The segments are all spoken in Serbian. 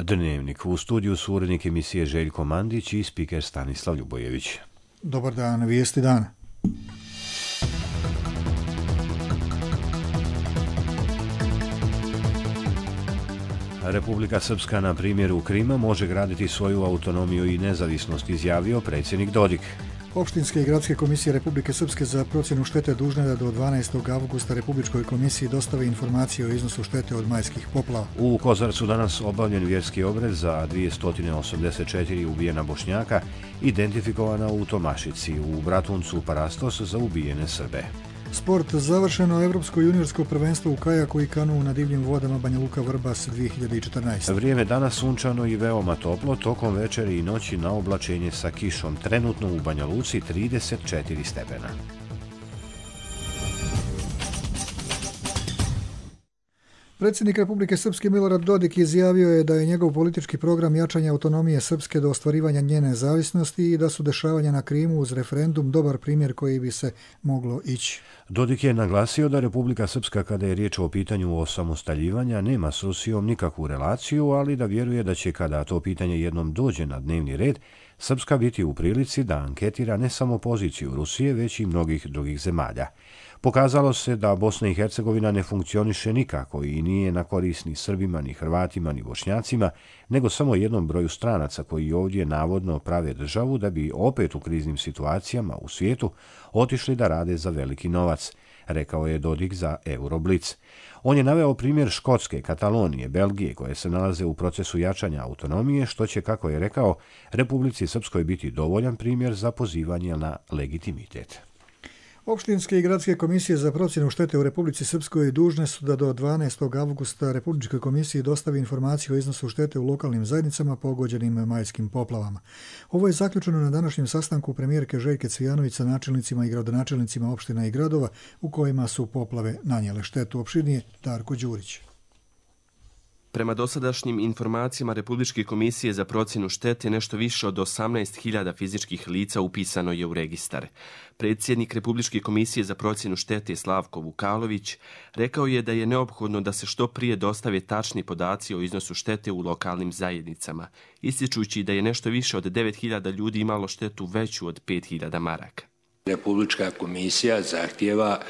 Dnevnik. U studiju su urednik emisije Željko Mandić i spiker Stanislav Ljubojević. Dobar dan, vijesti dana. Republika Srpska na primjeru Krima može graditi svoju autonomiju i nezavisnost, izjavio predsjednik Dodik. Opštinske i gradske komisije Republike Srpske za procjenu štete dužne da do 12. avgusta Republičkoj komisiji dostave informacije o iznosu štete od majskih poplava. U Kozarcu danas obavljen vjerski obred za 284 ubijena Bošnjaka, identifikovana u Tomašici, u Bratuncu Parastos za ubijene Srbe. Sport završeno. Evropsko juniorsko prvenstvo u kajaku i kanu na divljim vodama Banja Luka Vrbas 2014. Vrijeme danas sunčano i veoma toplo, tokom večeri i noći na oblačenje sa kišom. Trenutno u Banja Luci 34 stepena. Predsjednik Republike Srpske Milorad Dodik izjavio je da je njegov politički program jačanja autonomije Srpske do ostvarivanja njene nezavisnosti i da su dešavanja na Krimu uz referendum dobar primjer koji bi se moglo ići. Dodik je naglasio da Republika Srpska, kada je riječ o pitanju osamostaljivanja, nema s Rusijom nikakvu relaciju, ali da vjeruje da će, kada to pitanje jednom dođe na dnevni red, Srpska biti u prilici da anketira ne samo poziciju Rusije, već i mnogih drugih zemalja. Pokazalo se da Bosna i Hercegovina ne funkcioniše nikako i nije na korist ni Srbima, ni Hrvatima, ni Bošnjacima, nego samo jednom broju stranaca koji ovdje navodno prave državu da bi opet u kriznim situacijama u svijetu otišli da rade za veliki novac, rekao je Dodik za Euroblic. On je naveo primjer Škotske, Katalonije, Belgije, koje se nalaze u procesu jačanja autonomije, što će, kako je rekao, Republici Srpskoj biti dovoljan primjer za pozivanje na legitimitet. Opštinske i gradske komisije za procjenu štete u Republici Srpskoj dužne su da do 12. avgusta Republičkoj komisiji dostavi informaciju o iznosu štete u lokalnim zajednicama pogođenim majskim poplavama. Ovo je zaključeno na današnjem sastanku premijerke Željke Cvijanović sa načelnicima i gradonačelnicima opština i gradova u kojima su poplave nanijele štetu. Opširnije Darko Đurić. Prema dosadašnjim informacijama Republičke komisije za procjenu štete, nešto više od 18.000 fizičkih lica upisano je u registar. Predsjednik Republičke komisije za procjenu štete Slavko Vukalović rekao je da je neophodno da se što prije dostave tačni podaci o iznosu štete u lokalnim zajednicama, ističući da je nešto više od 9.000 ljudi imalo štetu veću od 5.000 maraka. Republička komisija zahtijeva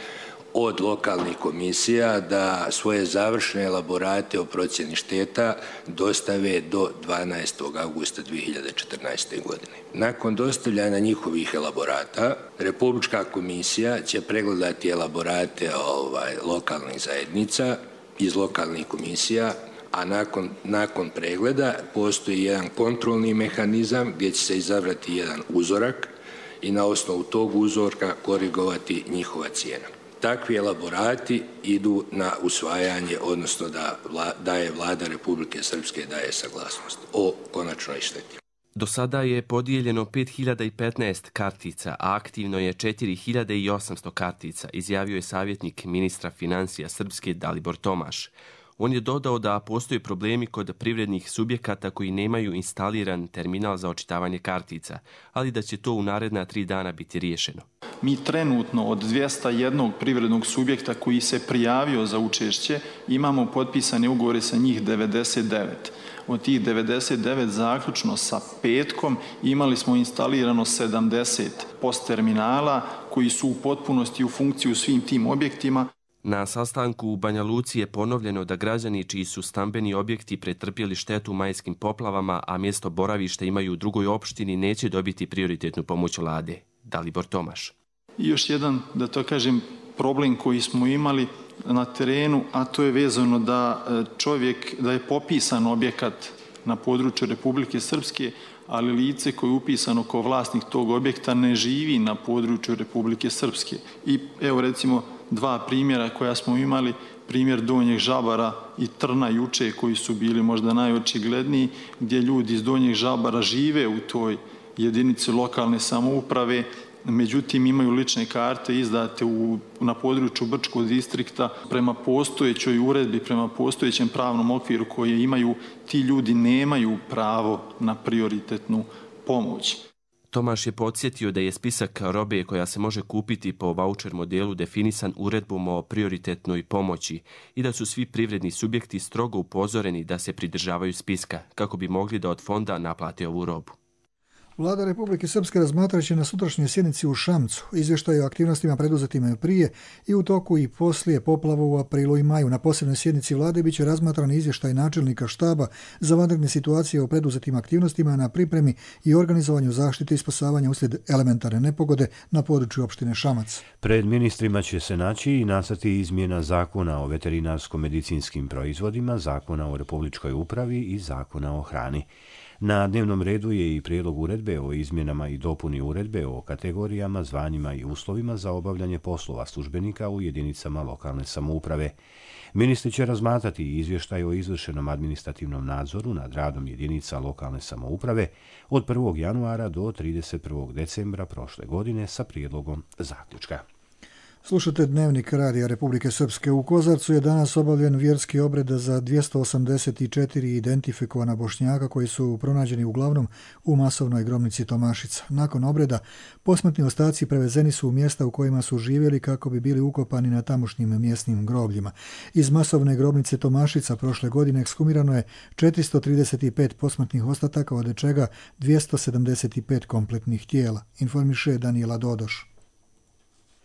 od lokalnih komisija da svoje završne elaborate o procjeni šteta dostave do 12. augusta 2014. godine. Nakon dostavljanja njihovih elaborata, Republička komisija će pregledati elaborate lokalnih zajednica iz lokalnih komisija, a nakon pregleda postoji jedan kontrolni mehanizam gdje će se izabrati jedan uzorak i na osnovu tog uzorka korigovati njihova cijena. Takvi elaborati idu na usvajanje, odnosno da je Vlada Republike Srpske daje saglasnost o konačnoj šteti. Do sada je podijeljeno 5.015 kartica, a aktivno je 4.800 kartica, izjavio je savjetnik ministra financija Srpske Dalibor Tomaš. On je dodao da postoje problemi kod privrednih subjekata koji nemaju instaliran terminal za očitavanje kartica, ali da će to u naredna 3 dana biti riješeno. Mi trenutno od 201 privrednog subjekta koji se prijavio za učešće imamo potpisane ugovore sa njih 99. Od tih 99 zaključno sa petkom imali smo instalirano 70 post terminala koji su u potpunosti u funkciji u svim tim objektima. Na sastanku u Banja Luci je ponovljeno da građani čiji su stambeni objekti pretrpjeli štetu majskim poplavama, a mjesto boravišta imaju u drugoj opštini, neće dobiti prioritetnu pomoć Vlade. Dalibor Tomaš. I još jedan, da to kažem, problem koji smo imali na terenu, a to je vezano da je popisan objekat na području Republike Srpske, ali lice koje je upisano kao vlasnik tog objekta ne živi na području Republike Srpske. I evo recimo 2 primjera koja smo imali, primjer Donjeg Žabara i Trna juče koji su bili možda najočigledniji, gdje ljudi iz Donjeg Žabara žive u toj jedinici lokalne samouprave, međutim imaju lične karte izdate na području Brčkog distrikta. Prema postojećoj uredbi, prema postojećem pravnom okviru koje imaju, ti ljudi nemaju pravo na prioritetnu pomoć. Tomaš je podsjetio da je spisak robe koja se može kupiti po vaučer modelu definisan uredbom o prioritetnoj pomoći i da su svi privredni subjekti strogo upozoreni da se pridržavaju spiska kako bi mogli da od fonda naplate ovu robu. Vlada Republike Srpske razmatraće na sutrašnjoj sjednici u Šamcu izvještaj o aktivnostima preduzetima prije i u toku i poslije poplava u aprilu i maju. Na posebnoj sjednici vlade biće razmatran izvještaj načelnika štaba za vanredne situacije o preduzetim aktivnostima na pripremi i organizovanju zaštite i spasavanja uslijed elementarne nepogode na području opštine Šamac. Pred ministrima će se naći i nacrti izmjena zakona o veterinarsko-medicinskim proizvodima, zakona o republičkoj upravi i zakona o hrani. Na dnevnom redu je i prijedlog uredbe o izmjenama i dopuni uredbe o kategorijama, zvanjima i uslovima za obavljanje poslova službenika u jedinicama lokalne samouprave. Ministri će razmatrati izvještaj o izvršenom administrativnom nadzoru nad radom jedinica lokalne samouprave od 1. januara do 31. decembra prošle godine sa prijedlogom zaključka. Slušate Dnevnik Radija Republike Srpske. U Kozarcu je danas obavljen vjerski obred za 284 identifikovana Bošnjaka koji su pronađeni uglavnom u masovnoj grobnici Tomašica. Nakon obreda, posmrtni ostaci prevezeni su u mjesta u kojima su živjeli kako bi bili ukopani na tamošnjim mjesnim grobljima. Iz masovne grobnice Tomašica prošle godine ekshumirano je 435 posmrtnih ostataka, od čega 275 kompletnih tijela, informiše Danijela Dodoš.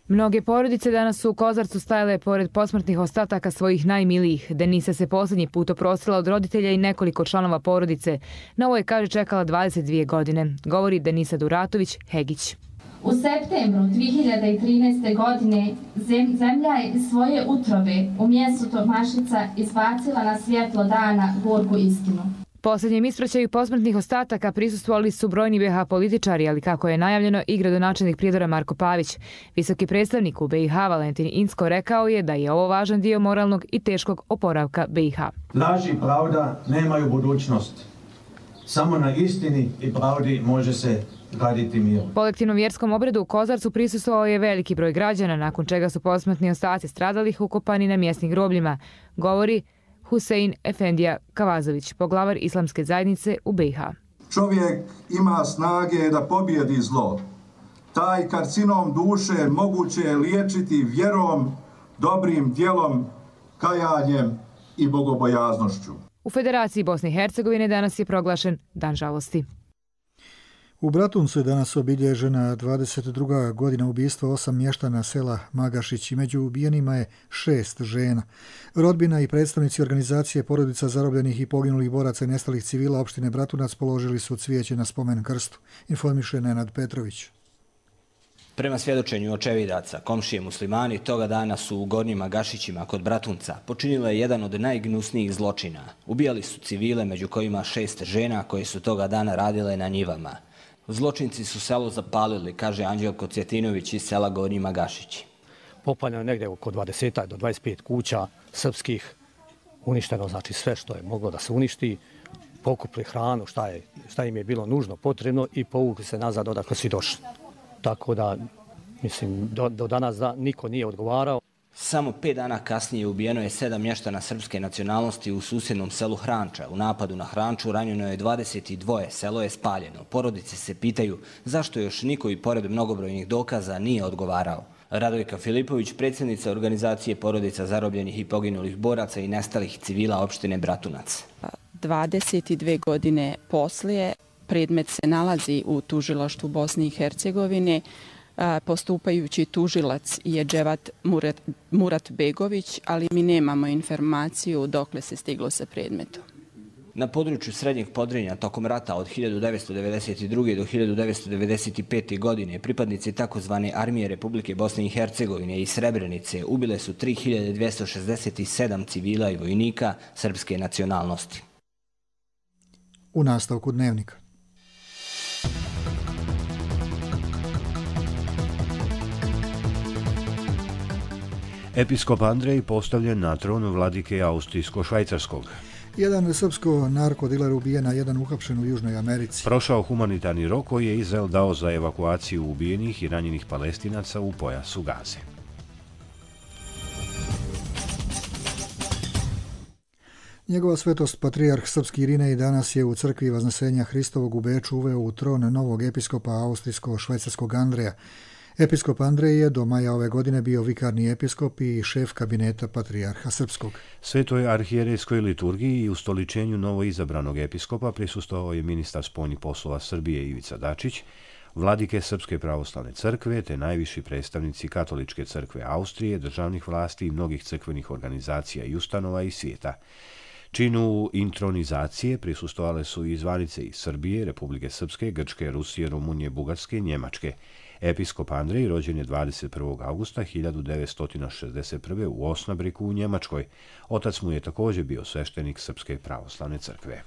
Mnoge porodice danas su u Kozarcu stajale pored posmrtnih ostataka svojih najmilijih. Denisa se posljednji put oprostila od roditelja i nekoliko članova porodice. Na ovo je, kaže, čekala 22 godine. Govori Denisa Duratović Hegić. U septembru 2013. godine zemlja je iz svoje utrobe u mjestu Tomašica izbacila na svjetlo dana gorku istinu. Posljednjem ispraćaju posmrtnih ostataka prisustvovali su brojni BiH političari, ali kako je najavljeno i gradonačelnik Prijedora Marko Pavić. Visoki predstavnik u BiH Valentin Incko rekao je da je ovo važan dio moralnog i teškog oporavka BiH. Laž i pravda nemaju budućnost. Samo na istini i pravdi može se graditi mir. Kolektivnom vjerskom obredu u Kozarcu prisustvovao je veliki broj građana, nakon čega su posmrtni ostaci stradalih ukopani na mjesnim grobljima, govori Husein Efendija Kavazović, poglavar islamske zajednice u BiH. Čovjek ima snage da pobjedi zlo. Taj karcinom duše moguće je liječiti vjerom, dobrim djelom, kajanjem i bogobojaznošću. U Federaciji Bosne i Hercegovine danas je proglašen Dan žalosti. U Bratuncu je danas obilježena 22. godina ubistva 8 mještana sela Magašić i među ubijenima je 6 žena. Rodbina i predstavnici organizacije porodica zarobljenih i poginulih boraca i nestalih civila opštine Bratunac položili su cvijeće na spomen krstu, informiše Nenad Petrović. Prema svjedočenju očevidaca, komšije muslimani toga dana su u Gornjim Magašićima kod Bratunca počinile jedan od najgnusnijih zločina. Ubijali su civile, među kojima 6 žena koje su toga dana radile na njivama. Zločinci su selo zapalili, kaže Anđelko Cvjetinović iz sela Gornji Magašići. Popaljeno negdje oko 20 do 25 kuća srpskih, uništeno znači sve što je moglo da se uništi, pokupili hranu, šta im je bilo nužno, potrebno i povukli se nazad odakle su došli. Tako da, mislim, do danas niko nije odgovarao. Samo 5 dana kasnije ubijeno je 7 mještana srpske nacionalnosti u susjednom selu Hranča. U napadu na Hranču ranjeno je 22, selo je spaljeno. Porodice se pitaju zašto još niko i pored mnogobrojnih dokaza nije odgovarao. Radojka Filipović, predsjednica organizacije porodica zarobljenih i poginulih boraca i nestalih civila opštine Bratunac. 22 godine poslije predmet se nalazi u tužilaštvu Bosne i Hercegovine. Postupajući tužilac je Dževat Murat Begović, ali mi nemamo informaciju dokle se stiglo sa predmetom. Na području Srednjeg Podrinja tokom rata od 1992. do 1995. godine pripadnici takozvane Armije Republike Bosne i Hercegovine i Srebrenice ubile su 3267 civila i vojnika srpske nacionalnosti. U nastavku Dnevnika. Episkop Andrej postavljen na tron vladike Austrijsko-Švajcarskog. Jedan srpsko narkodiler ubijen, a jedan uhapšen u Južnoj Americi. Prošao humanitarni rok koji je Izrael dao za evakuaciju ubijenih i ranjenih Palestinaca u pojasu Gaze. Njegova svetost patrijarh srpski Irinej danas je u crkvi Vaznesenja Hristovog u Beču uveo u tron novog episkopa austrijsko-švajcarskog Andreja. Episkop Andrej je do maja ove godine bio vikarni episkop i šef kabineta patrijarha srpskog. Svetoj arhijerejskoj liturgiji i ustoličenju novoizabranog episkopa prisustvovao je ministar spoljnih poslova Srbije Ivica Dačić, vladike Srpske pravoslavne crkve te najviši predstavnici Katoličke crkve Austrije, državnih vlasti i mnogih crkvenih organizacija i ustanova iz svijeta. Činu intronizacije prisustvovale su i zvanice iz Srbije, Republike Srpske, Grčke, Rusije, Rumunije, Bugarske i Njemačke. Episkop Andrej rođen je 21. augusta 1961. u Osnabriku u Njemačkoj. Otac mu je također bio sveštenik Srpske pravoslavne crkve.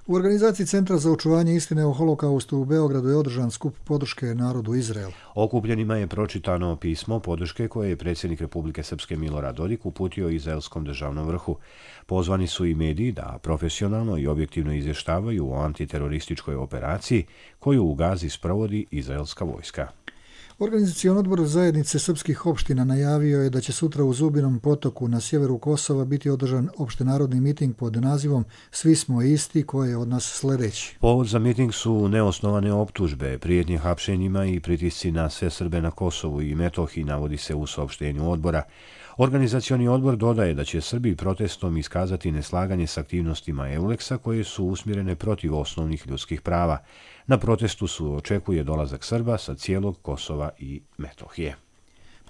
U organizaciji Centra za očuvanje istine o holokaustu u Beogradu je održan skup podrške narodu Izraela. Okupljenima je pročitano pismo podrške koje je predsjednik Republike Srpske Milorad Dodik uputio izraelskom državnom vrhu. Pozvani su i mediji da profesionalno i objektivno izvještavaju o antiterorističkoj operaciji koju u Gazi sprovodi izraelska vojska. Organizacioni odbor zajednice srpskih opština najavio je da će sutra u Zubinom potoku na sjeveru Kosova biti održan opštenarodni miting pod nazivom Svi smo isti, koji je od nas sljedeći. Povod za miting su neosnovane optužbe, prijetnje hapšenjima i pritisci na sve Srbe na Kosovu i Metohiji, navodi se u saopštenju odbora. Organizacioni odbor dodaje da će Srbi protestom iskazati neslaganje s aktivnostima EULEX-a koje su usmjerene protiv osnovnih ljudskih prava. Na protestu su očekuje dolazak Srba sa cijelog Kosova i Metohije.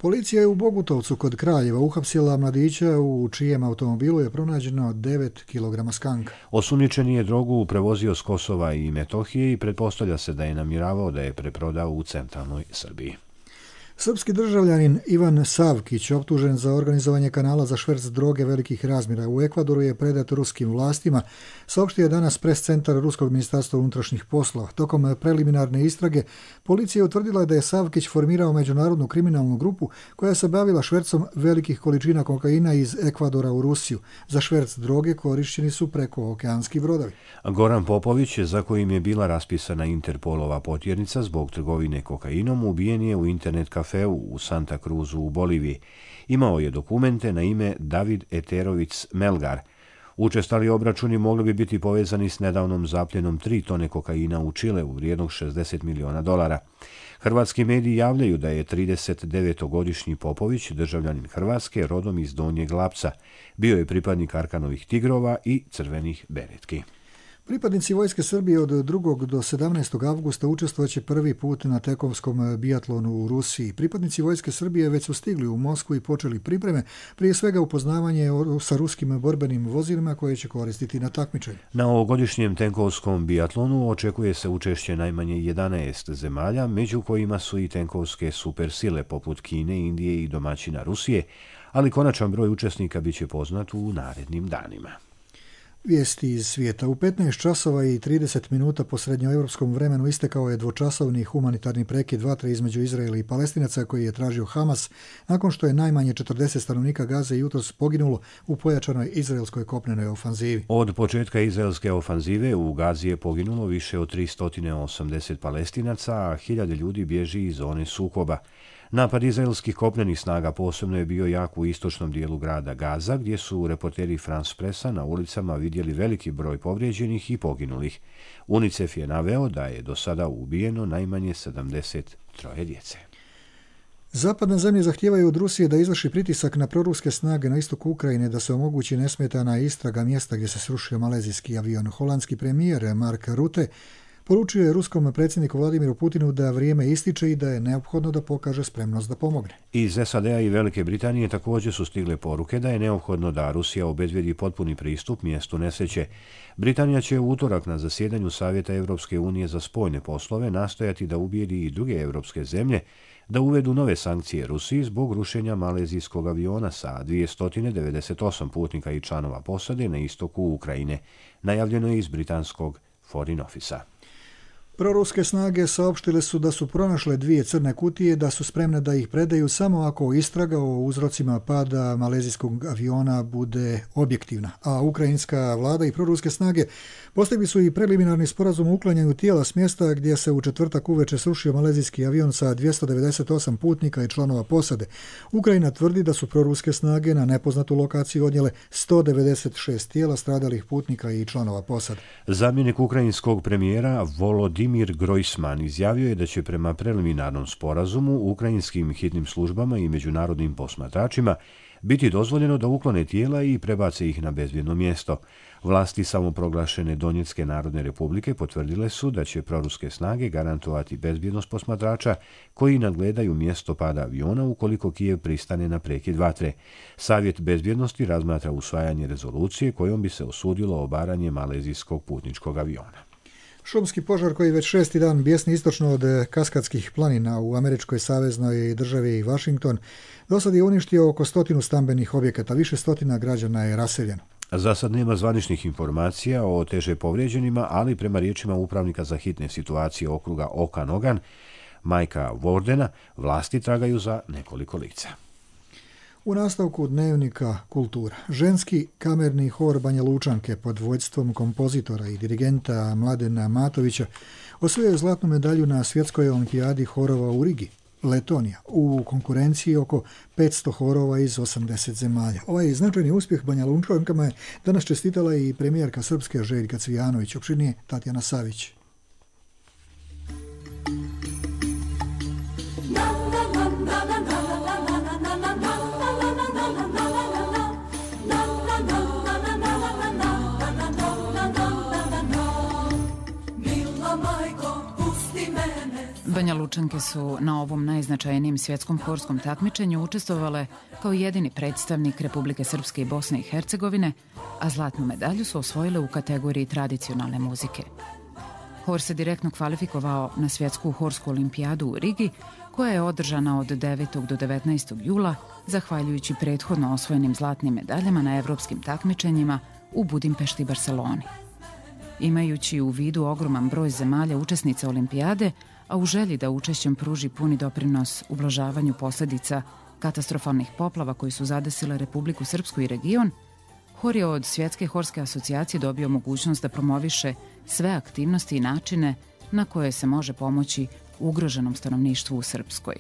Policija je u Bogutovcu kod Kraljeva uhapsila mladića u čijem automobilu je pronađeno 9 kg skanka. Osumnjičeni je drogu prevozio s Kosova i Metohije i pretpostavlja se da je namjeravao da je preprodao u centralnoj Srbiji. Srpski državljanin Ivan Savkić, optužen za organizovanje kanala za šverc droge velikih razmjera u Ekvadoru, je predat ruskim vlastima, saopštio je danas pres-centar Ruskog ministarstva unutrašnjih poslova. Tokom preliminarne istrage, policija je utvrdila da je Savkić formirao međunarodnu kriminalnu grupu koja se bavila švercom velikih količina kokaina iz Ekvadora u Rusiju. Za šverc droge korišćeni su prekookeanski brodovi. Goran Popović, za kojim je bila raspisana Interpolova potjernica zbog trgovine kokainom, ubijen je u internet kafeu u Santa Cruzu u Boliviji. Imao je dokumente na ime David Eterović Melgar. Učestali obračuni mogli bi biti povezani s nedavnom zapljenom 3 tone kokaina u Čileu vrijednog $60 miliona. Hrvatski mediji javljaju da je 39-godišnji Popović, državljanin Hrvatske, rodom iz Donjeg Lapca. Bio je pripadnik Arkanovih tigrova i crvenih beretki. Pripadnici Vojske Srbije od 2. do 17. avgusta učestvovaće prvi put na tekovskom bijatlonu u Rusiji. Pripadnici Vojske Srbije već su stigli u Moskvu i počeli pripreme, prije svega upoznavanje sa ruskim borbenim vozilima koje će koristiti na takmičenju. Na ovogodišnjem tenkovskom bijatlonu očekuje se učešće najmanje 11 zemalja, među kojima su i tenkovske supersile poput Kine, Indije i domaćina Rusije, ali konačan broj učesnika biće poznat u narednim danima. Vijesti iz svijeta. U 15 časova i 30 minuta po srednjoevropskom vremenu istekao je dvočasovni humanitarni prekid vatre između Izraela i Palestinaca koji je tražio Hamas nakon što je najmanje 40 stanovnika Gaze jutros poginulo u pojačanoj izraelskoj kopnenoj ofanzivi. Od početka izraelske ofanzive u Gazi je poginulo više od 380 Palestinaca, a 1000 ljudi bježi iz zone sukoba. Napad izraelskih kopnenih snaga posebno je bio jak u istočnom dijelu grada Gaza, gdje su reporteri France Pressa na ulicama vidjeli veliki broj povrijeđenih i poginulih. UNICEF je naveo da je do sada ubijeno najmanje 73 djece. Zapadne zemlje zahtijevaju od Rusije da izvrši pritisak na proruske snage na istoku Ukrajine da se omogući nesmetana istraga mjesta gdje se srušio malezijski avion. Holandski premijer Mark Rutte poručio je ruskom predsjedniku Vladimiru Putinu da vrijeme ističe i da je neophodno da pokaže spremnost da pomogne. Iz SAD-a i Velike Britanije također su stigle poruke da je neophodno da Rusija obezbedi potpuni pristup mjestu nesreće. Britanija će u utorak na zasjedanju Savjeta Europske unije za spoljne poslove nastojati da ubijedi i druge europske zemlje da uvedu nove sankcije Rusiji zbog rušenja malezijskog aviona sa 298 putnika i članova posade na istoku Ukrajine. Najavljeno je iz britanskog Foreign Office-a. Proruske snage saopštile su da su pronašle 2 crne kutije, da su spremne da ih predaju samo ako istraga o uzrocima pada malezijskog aviona bude objektivna. A ukrajinska vlada i proruske snage postigli su i preliminarni sporazum o uklanjanju tijela s mjesta gdje se u četvrtak uveče srušio malezijski avion sa 298 putnika i članova posade. Ukrajina tvrdi da su proruske snage na nepoznatu lokaciju odnijele 196 tijela stradalih putnika i članova posade. Zamjenik ukrajinskog premijera Volodimir Grojsman izjavio je da će prema preliminarnom sporazumu ukrajinskim hitnim službama i međunarodnim posmatračima biti dozvoljeno da uklone tijela i prebace ih na bezbjedno mjesto. Vlasti samoproglašene Donjetske narodne republike potvrdile su da će proruske snage garantovati bezbjednost posmatrača koji nadgledaju mjesto pada aviona ukoliko Kijev pristane na prekid vatre. Savjet bezbjednosti razmatra usvajanje rezolucije kojom bi se osudilo obaranje malezijskog putničkog aviona. Šumski požar koji već 6. dan bjesni istočno od Kaskadskih planina u američkoj saveznoj državi Washington dosad je uništio oko 100 stambenih objekata, više stotina građana je raseljeno. Za sad nema zvaničnih informacija o teže povrijeđenima, ali prema riječima upravnika za hitne situacije okruga Okanogan, Majka Wardena, vlasti tragaju za nekoliko lica. U nastavku dnevnika kultura, ženski kamerni hor Banja Lučanke pod vodstvom kompozitora i dirigenta Mladena Matovića osvojio zlatnu medalju na svjetskoj olimpijadi horova u Rigi, Letonija, u konkurenciji oko 500 horova iz 80 zemalja. Ovaj značajni uspjeh Banja Lučankama je danas čestitala i premijerka Srpske Željka Cvijanović, opširnije Tatjana Savić. Banja Lučanke su na ovom najznačajnijem svjetskom horskom takmičenju učestvovale kao jedini predstavnik Republike Srpske i Bosne i Hercegovine, a zlatnu medalju su osvojile u kategoriji tradicionalne muzike. Hor se direktno kvalifikovao na svjetsku horsku olimpijadu u Rigi, koja je održana od 9. do 19. jula, zahvaljujući prethodno osvojenim zlatnim medaljama na evropskim takmičenjima u Budimpešti i Barceloni. Imajući u vidu ogroman broj zemalja učesnica olimpijade, a u želji da učešćem pruži puni doprinos ublažavanju posljedica katastrofalnih poplava koji su zadesile Republiku Srpsku i region, hor je od Svjetske horske asocijacije dobio mogućnost da promoviše sve aktivnosti i načine na koje se može pomoći ugroženom stanovništvu u Srpskoj.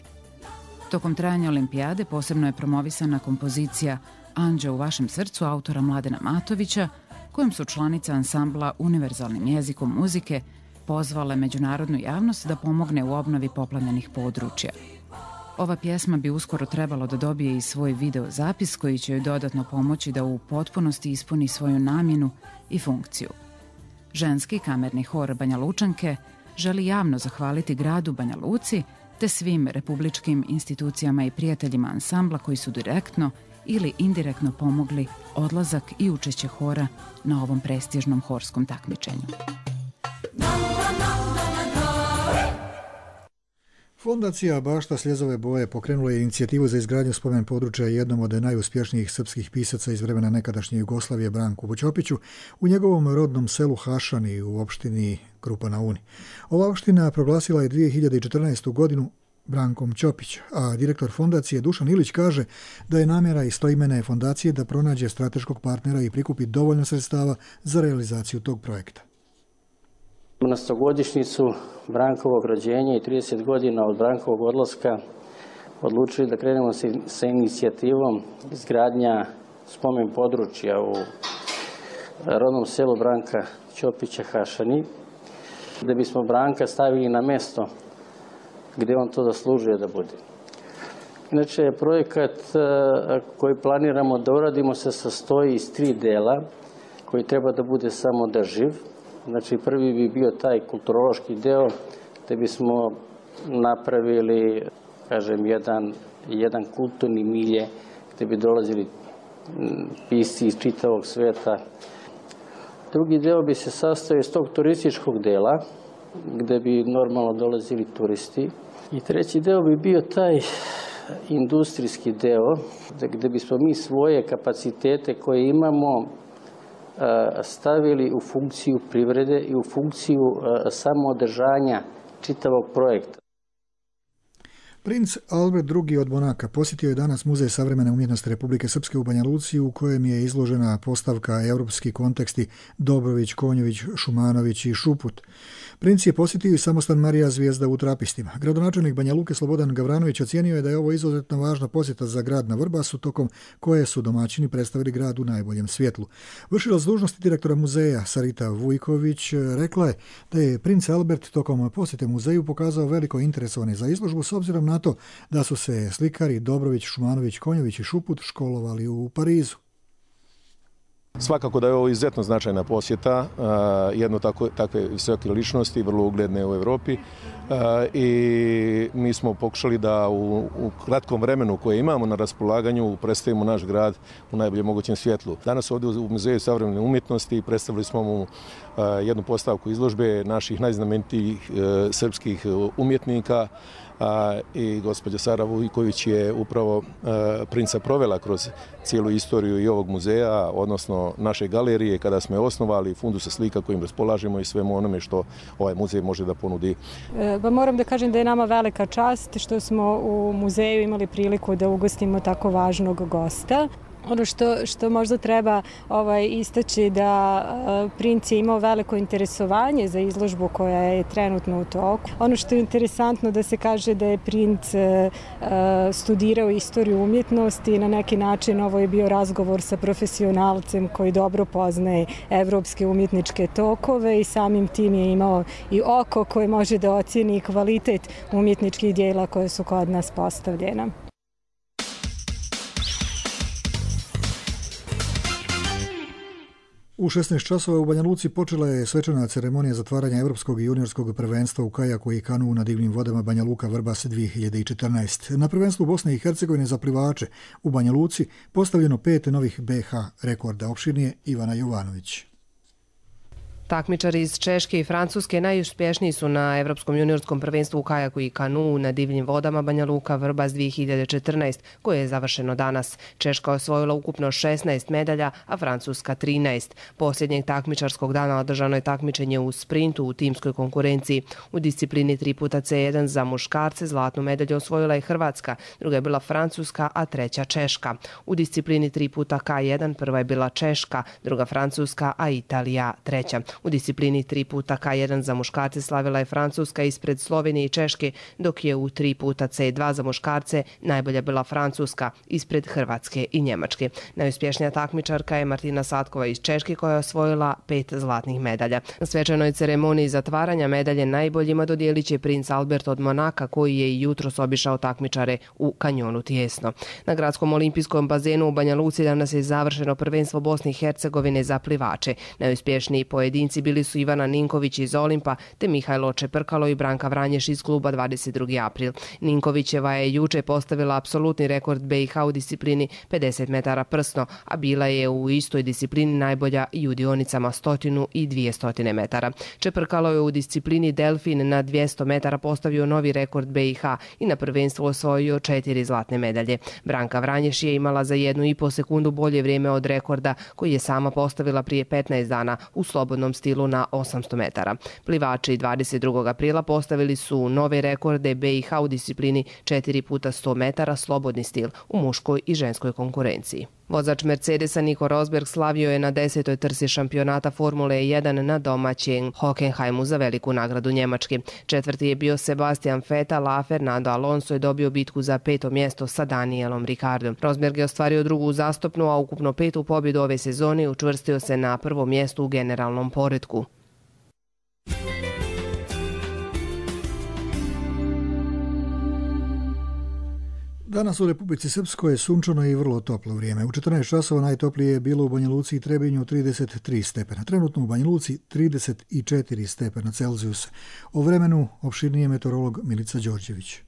Tokom trajanja olimpijade posebno je promovisana kompozicija Anđeo u vašem srcu autora Mladena Matovića, kojom su članice ansambla univerzalnim jezikom muzike pozvale međunarodnu javnost da pomogne u obnovi poplavljenih područja. Ova pjesma bi uskoro trebalo da dobije i svoj video zapis koji će joj dodatno pomoći da u potpunosti ispuni svoju namjenu i funkciju. Ženski kamerni hor Banja Lučanke želi javno zahvaliti gradu Banja Luci te svim republičkim institucijama i prijateljima ansambla koji su direktno ili indirektno pomogli odlazak i učešće hora na ovom prestižnom horskom takmičenju. Fondacija Bašta Sljezove boje pokrenula je inicijativu za izgradnju spomen područja jednom od najuspješnijih srpskih pisaca iz vremena nekadašnje Jugoslavije Branku Ćopiću u njegovom rodnom selu Hašani u opštini Krupa na Uni. Ova opština proglasila je 2014. godinu Brankom Ćopić, a direktor fondacije Dušan Ilić kaže da je namjera istoimene fondacije da pronađe strateškog partnera i prikupi dovoljno sredstava za realizaciju tog projekta. Na 100-godišnjicu Brankovog rođenja i 30 godina od Brankovog odlaska odlučili da krenemo sa inicijativom izgradnja spomen područja u rodnom selu Branka Ćopića Hašani, da bismo Branka stavili na mjesto gdje on to zaslužuje da bude. Inače, projekat koji planiramo da uradimo se sastoji iz 3 dela koji treba da bude samodrživ. Znači, prvi bi bio taj kulturološki deo gdje bismo napravili, kažem, jedan kulturni milje gdje bi dolazili pisci iz čitavog sveta. Drugi deo bi se sastojao iz tog turističkog dela gdje bi normalno dolazili turisti. I treći deo bi bio taj industrijski deo gdje bismo mi svoje kapacitete koje imamo stavili u funkciju privrede i u funkciju samoodržanja čitavog projekta. Princ Albert II od Monaka posjetio je danas Muzej savremene umjetnosti Republike Srpske u Banja Luci, u kojem je izložena postavka Europski konteksti Dobrović, Konjović, Šumanović i Šuput. Princ je posjetio i samostan Marija Zvijezda u Trapistima. Gradonačelnik Banja Luke Slobodan Gavranović ocijenio je da je ovo izuzetno važna posjeta za grad na Vrbasu, tokom koje su domaćini predstavili grad u najboljem svjetlu. Vršilac dužnosti direktora muzeja Sarita Vujković rekla je da je princ Albert tokom posjete muzeju pokazao veliko interesovanje za izložbu s obzirom na to da su se slikari Dobrović, Šumanović, Konjović i Šuput školovali u Parizu. Svakako da je ovo izuzetno značajna posjeta jedno takve visoke ličnosti, vrlo ugledne u Evropi, i mi smo pokušali da u kratkom vremenu koje imamo na raspolaganju predstavimo naš grad u najboljem mogućem svjetlu. Danas ovdje u Muzeju savremene umjetnosti predstavili smo mu jednu postavku izložbe naših najznamenitijih srpskih umjetnika, i gospođa Sara Vujković je upravo princa provela kroz cijelu istoriju i ovog muzeja, odnosno naše galerije, kada smo je osnovali, fundusa slika kojim raspolažemo i svemu onome što ovaj muzej može da ponudi. Moram da kažem da je nama velika čast što smo u muzeju imali priliku da ugostimo tako važnog gosta. Ono što možda treba istaći da princ je imao veliko interesovanje za izložbu koja je trenutno u toku. Ono što je interesantno da se kaže da je princ studirao istoriju umjetnosti i na neki način ovo je bio razgovor sa profesionalcem koji dobro poznaje evropske umjetničke tokove i samim tim je imao i oko koje može da ocijeni kvalitet umjetničkih dijela koje su kod nas postavljena. U 16 časova u Banja Luci počela je svečana ceremonija zatvaranja Evropskog i juniorskog prvenstva u kajaku i kanuu na divljim vodama Banja Luka Vrbas 2014. Na prvenstvu Bosne i Hercegovine za plivače u Banja Luci postavljeno 5 novih BH rekorda. Opširnije Ivana Jovanović. Takmičari iz Češke i Francuske najuspješniji su na Evropskom juniorskom prvenstvu u kajaku i kanuu na divljim vodama Banja Luka Vrbas 2014, koje je završeno danas. Češka osvojila ukupno 16 medalja, a Francuska 13. Posljednjeg takmičarskog dana održano je takmičenje u sprintu u timskoj konkurenciji. U disciplini 3x1 za muškarce zlatnu medalju osvojila je Hrvatska, druga je bila Francuska, a treća Češka. U disciplini 3x1 prva je bila Češka, druga Francuska, a Italija treća. U disciplini 3x1 za muškarce slavila je Francuska ispred Slovenije i Češke, dok je u 3x2 za muškarce najbolja bila Francuska ispred Hrvatske i Njemačke. Najuspješnija takmičarka je Martina Satkova iz Češke koja je osvojila 5 zlatnih medalja. Na svečanoj ceremoniji zatvaranja medalje najboljima dodijelit će princ Albert od Monaka, koji je i jutros obišao takmičare u kanjonu Tijesno. Na gradskom olimpijskom bazenu u Banja Luci danas je završeno prvenstvo Bosne i Hercegovine za plivače. Najuspješniji pojedinci bili su Ivana Ninković iz Olimpa te Mihajlo Čeprkalo i Branka Vranješ iz kluba 22. april. Ninkovićeva je juče postavila apsolutni rekord BiH u disciplini 50 metara prsno, a bila je u istoj disciplini najbolja i u dionicama 100 i 200 metara. Čeprkalo je u disciplini Delfin na 200 metara postavio novi rekord BiH i na prvenstvu osvojio 4 zlatne medalje. Branka Vranješ je imala za 1,5 sekundu bolje vrijeme od rekorda koji je sama postavila prije 15 dana u slobodnom stilu na 800 metara. Plivači 22. aprila postavili su nove rekorde BiH u disciplini 4x100 metara slobodni stil u muškoj i ženskoj konkurenciji. Vozač Mercedesa Nico Rosberg slavio je na 10. trci šampionata Formule 1 na domaćem Hockenheimu za veliku nagradu Njemačke. Četvrti je bio Sebastian Vettel, a Fernando Alonso je dobio bitku za 5. mjesto sa Danielom Ricciardom. Rosberg je ostvario drugu uzastopnu, a ukupno 5. pobjedu ove sezone i učvrstio se na prvo mjesto u generalnom poretku. Danas u Republici Srpskoj je sunčano i vrlo toplo vrijeme. U 14 časova najtoplije je bilo u Banja Luci i Trebinju 33 stepena. Trenutno u Banja Luci 34 stepena Celzijusa. O vremenu opširnije meteorolog Milica Đorđević.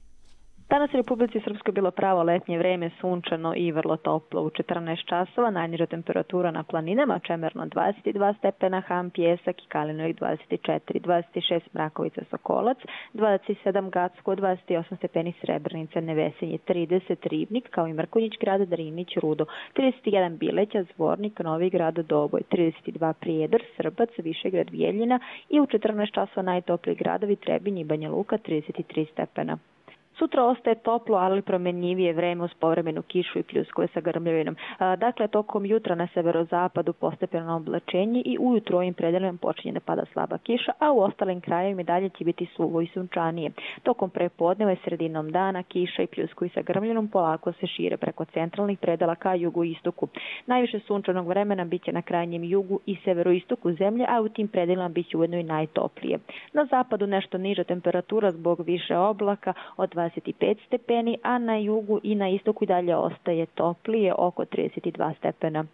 Danas u Republici Srpskoj bilo pravo letnje vreme, sunčano i vrlo toplo. U 14 časova najniža temperatura na planinama, Čemerno 22 stepena, Ham, Pjesak i Kalinovik 24, 26 Mrakovica, Sokolac, 27 Gacko, 28 stepeni Srebrenica, Nevesinje 30, Ribnik, kao i Mrkonjić grad, Drinić, Rudo, 31 Bileća, Zvornik, Novi grad, Doboj, 32 Prijedor, Srbac, Višegrad, Bijeljina i u 14 časova najtopliji gradovi Trebinj i Banja Luka 33 stepena. Sutra ostaje toplo, ali promenjivije vreme uz povremenu kišu i pljuskove sa grmljavinom. Dakle, tokom jutra na severozapadu postepeno oblačenje i ujutro ovim predelima počinje da pada slaba kiša, a u ostalim krajevima dalje će biti suvo i sunčanije. Tokom prepodneva i sredinom dana kiša i pljuskovi sa grmljavinom polako se šire preko centralnih predela ka jugu i istoku. Najviše sunčanog vremena biće na krajnjem jugu i severoistoku zemlje, a u tim predelima biće ujedno i najtoplije. Na zapadu nešto niža temperatura zbog više oblaka od 25 stepeni, a na jugu i na istoku i dalje ostaje toplije, oko 32 stepena.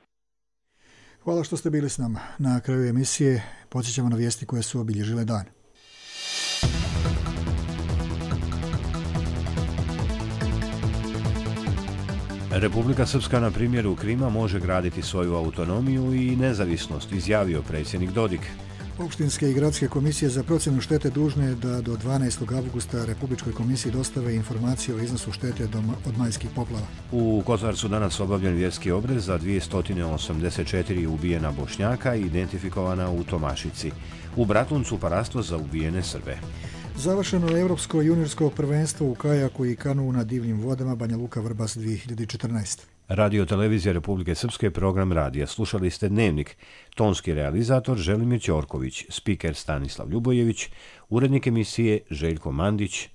Hvala što ste bili s nama. Na kraju emisije podsjećamo na vijesti koje su obilježile dan. Republika Srpska na primjeru Krima može graditi svoju autonomiju i nezavisnost, izjavio predsjednik Dodik. Opštinske i gradske komisije za procjenu štete dužne da do 12. avgusta Republičkoj komisiji dostave informacije o iznosu štete od majskih poplava. U Kozarcu danas obavljen vjerski obrez za 284 ubijena Bošnjaka i identifikovana u Tomašici. U Bratuncu parastvo za ubijene Srbe. Završeno je Evropsko juniorsko prvenstvo u kajaku i kanuu na divljim vodama Banja Luka Vrbas 2014. Radio Televizija Republike Srpske, program radija. Slušali ste Dnevnik. Tonski realizator Želimir Ćorković, spiker Stanislav Ljubojević, urednik emisije Željko Mandić,